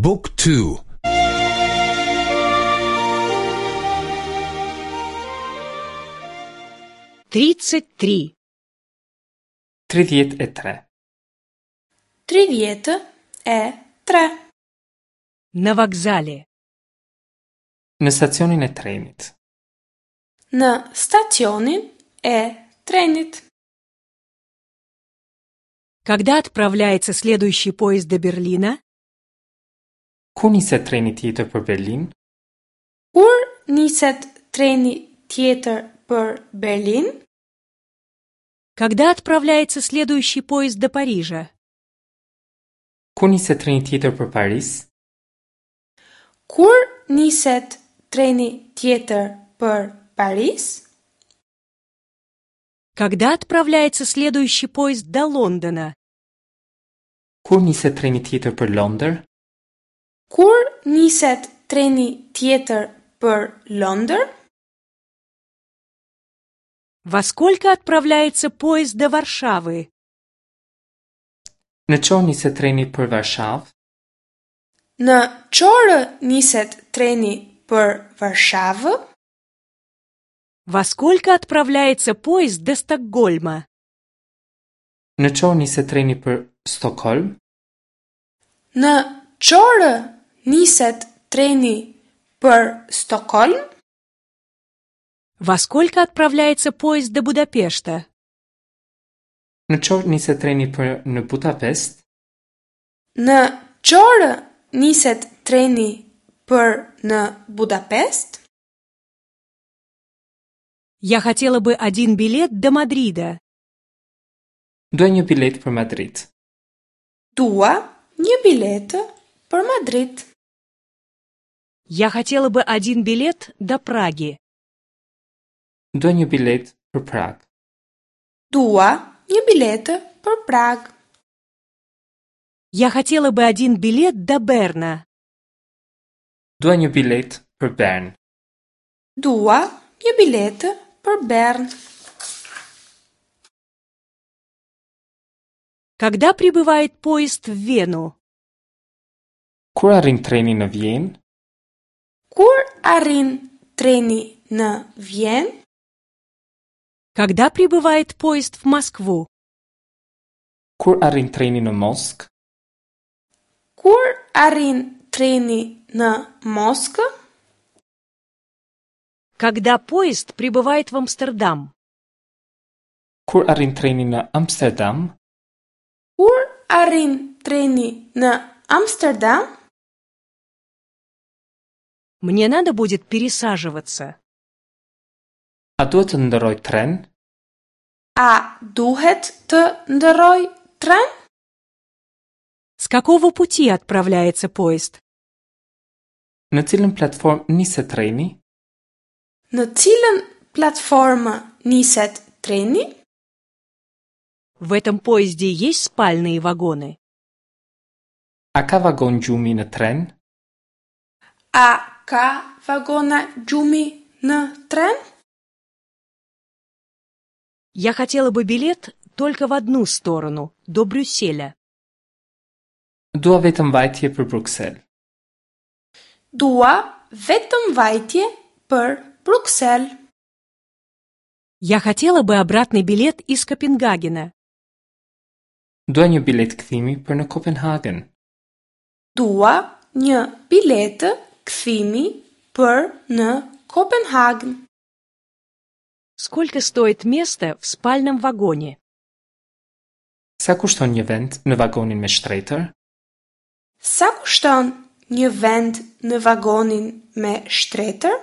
บุ๊กทู 33. 33. 33. На вокзале. Në stacionin e trenit. Në stacionin e trenit. Когда отправляется следующий поезд до Берлина? Kur niset treni tjetër për Berlin? Kur niset treni tjetër për Berlin? Когда отправляется следующий поезд до Парижа? Kur niset treni tjetër për Paris? Kur niset treni tjetër për Paris? Когда отправляется следующий поезд до Лондона? Kur niset treni tjetër për Londër? Kur niset treni tjetër për Londër? Во сколько отправляется поезд до Варшавы? Në ç'orë niset treni për Varshavë? Në ç'orë niset treni për Varshavë? Во сколько отправляется поезд до Стокгольма? Në ç'orë niset treni për Stockholm? Në ç'orë niset treni për Stockholm? Во сколько отправляется поезд до Будапешта? Në ç'orë niset treni për në Budapest? Në ç'orë niset treni për në Budapest? Я хотела бы один билет до Мадрида. Dua një biletë për Madrid. Dua një biletë për Madrid. Я хотела бы один билет до Праги. Dua një biletë për Prag. Dua një biletë për Prag. Я хотела бы один билет до Берна. Dua një biletë për Bern. Dua një biletë për Bern. Когда прибывает поезд в Вену? Kur arrin treni në Vjenë? Kur arrin treni në Vjenë? Когда прибывает поезд в Москву? Kur arrin treni në Moskë? Kur arrin treni në Moskë? Когда поезд прибывает в Амстердам? Kur arrin treni në Amsterdam? Kur arrin treni në Amsterdam? Мне надо будет пересаживаться. A duhet të ndërroj tren? A duhet të ndërroj tren? С какого пути отправляется поезд? Në cilën platformë niset treni? Në cilën platformë niset treni? В этом поезде есть спальные вагоны? A ka vagon gjumi në tren? A ka vagona gjumi në tren? Я хотела бы билет только в одну сторону, до Брюсселя. Dua vetëm vajtje për Bruksel. Dua vetëm vajtje për Bruksel. Я хотела бы обратный билет из Копенгагена. Dua një biletë kthimi për në Kopenhagen. Dua një biletë kthimi për në Kopenhagen. Сколько стоит место в спальном вагоне? Sa kushton një vend në vagonin me shtretër? Sa kushton një vend në vagonin me shtretër?